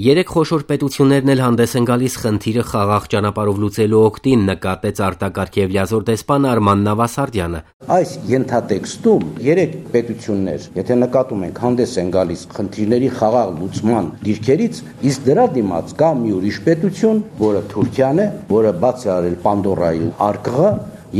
Երեք խոշոր պետություններն էլ հանդես են գալիս խնդիրը խաղաղ ճանապարհով լուծելու օգտին, նկատեց արտակարգ եւ լիազոր դեսպան Արման Նավասարդյանը։ Այս ենթատեքստում երեք պետություններ, եթե նկատում ենք, հանդես են գալիս խնդիրների խաղաղ լուծման դիրքերից, իսկ դրա դիմաց կա մի ուրիշ պետություն, որը Թուրքիան է, որը բաց է արել Պանդորայի արկղը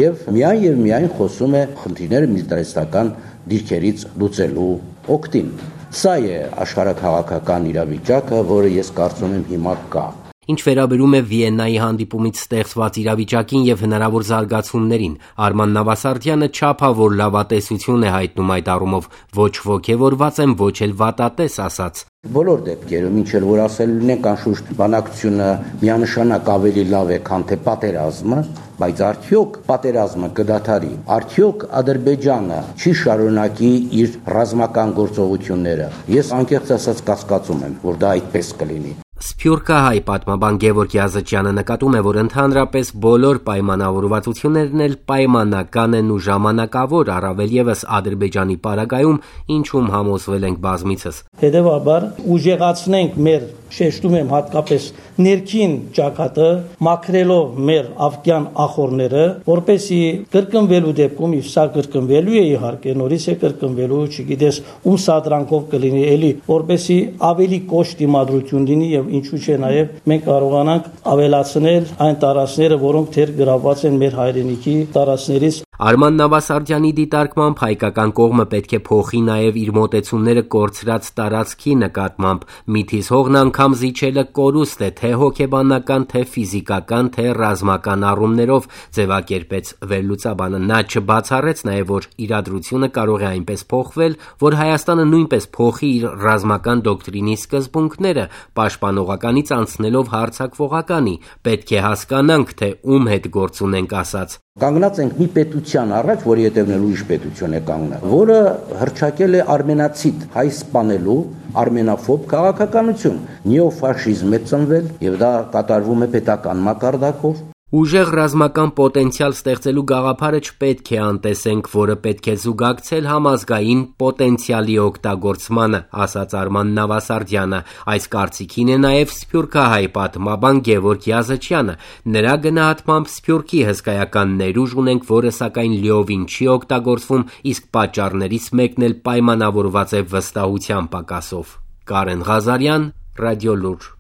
եւ միայն խոսում է խնդիրները միլիտարիստական դիրքերից լուծելու օգտին։ Սա է աշխարհաքաղաքական իրավիճակը, որը ես կարծում եմ հիմա կա։ Ինչ վերաբերում է Վիեննայի հանդիպումից ստեղծված իրավիճակին եւ հնարավոր զարգացումներին, Արման Նավասարդյանը չափավոր լավատեսություն է հայտնում այդ առումով, ոչ ոգևորված եմ, ոչ էլ վատատես ասաց։ Բոլոր դեպքերում, ինչ էլ որ ասել ունենք, անշուշտ բանակցությունը միանշանակ ավելի լավ է, քան թե պատերազմը, բայց արդյոք պատերազմը կդադարի, արդյոք Ադրբեջանը չի շարունակի իր ռազմական գործողությունները։ Ես անկեղծ ասած կասկածում եմ, որ դա այդպես կլինի։ Սփյուռքահայ պատմաբան Գևորգ Յազычյանը նկատում է, որ ընդհանրապես բոլոր պայմանավորվածություններն էլ պայմանական են ու ժամանակավոր, առավել եւս Ադրբեջանի պարագայում, ինչում համոզվել ենք բազմիցս։ Հետևաբար ուժեղացնենք մեր, շեշտում եմ հատկապես ներքին ճակատը, մաքրելով մեր ավկյան ախորները, որպեսի կրկնվելու դեպքում, իսկ սա կրկնվելու է իհարկե, նորից է կրկնվելու, չգիտես ում սադրանքով կլինի էլի, որպեսի ավելի կոշտ դիմադրություն լինի եւ ինչու՞ չէ նաեւ մենք կարողանանք ավելացնել այն տարածքները, որոնք թեր գրաված են մեր հայրենիքի տարածքներից։ Արման Նավասարդյանի դիտարկմամբ հայկական կողմը պետք է փոխի նաև իր մոտեցումները կորցրած տարածքի նկատմամբ։ Միթիս հողն անգամ զիջելը կորուստ է, թե հոգեբանական, թե ֆիզիկական, թե ռազմական առումներով, ձևակերպեց վերլուծաբանը։ Նա չբացառեց նաև, որ իրադրությունը կարող է այնպես փոխվել, որ Հայաստանը նույնպես փոխի իր ռազմական դոկտրինի սկզբունքները, պաշտպանողականից անցնելով հարձակվողականի։ Պետք է հասկանանք, թե ում հետ գործ ունենք ասաց։ Կանգնած ենք մի պետության առաջ, որի հետևն էլ ուրիշ պետություն է կանգնած, որը հռչակել է արմենացիտ, հայ սպանելու արմենաֆոբ քաղաքականություն։ Նեոֆաշիզմ է ծնվել եւ դա կատարվում է պետական մակարդակով։ Ուժեղ ռազմական պոտենցիալ ստեղծելու գաղափարը չպետք է անտեսենք, որը պետք է զուգակցել համազգային պոտենցիալի օգտագործմանը, ասաց Արման Նավասարդյանը։ Այս կարծիքին է նաև սփյուռքահայ պատմաբան Գևորգ Յազычյանը։ Նրա գնահատմամբ Սփյուռքի հսկայական ներուժ ունենք, որը սակայն լիովին չի օգտագործվում, իսկ պատճառներից մեկն էլ պայմանավորված է վստահության պակասով։ Կարեն Ղազարյան, Ռադիոլուր։